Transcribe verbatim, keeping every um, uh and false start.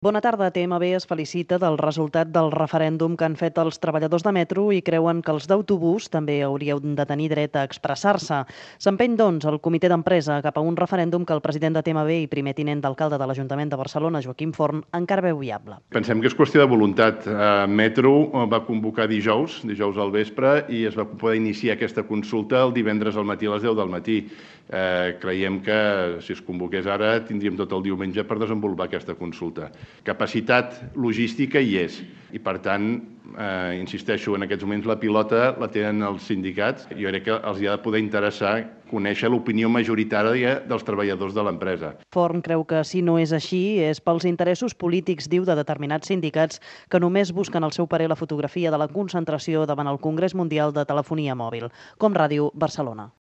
Bona tarda. T M B es felicita del resultat del referèndum que han fet els treballadors de metro i creuen que els d'autobús també haurien de tenir dret a expressar-se. S'empeny, doncs, el comitè d'empresa cap a un referèndum que el president de T M B i primer tinent d'alcalde de l'Ajuntament de Barcelona, Joaquim Forn, encara veu viable. Pensem que és qüestió de voluntat. Metro va convocar dijous, dijous al vespre, i es va poder iniciar aquesta consulta el divendres al matí a les deu del matí. Eh, creiem que si es convoqués ara tindríem tot el diumenge per desenvolupar aquesta consulta. Capacitat logística hi és i, per tant, eh, insisteixo, en aquests moments la pilota la tenen els sindicats. Jo crec que els hi ha de poder interessar conèixer l'opinió majoritària dels treballadors de l'empresa. Forn creu que si no és així és pels interessos polítics, diu, de determinats sindicats que només busquen al seu parer la fotografia de la concentració davant el Congrés Mundial de Telefonia Mòbil. Com Ràdio, Barcelona.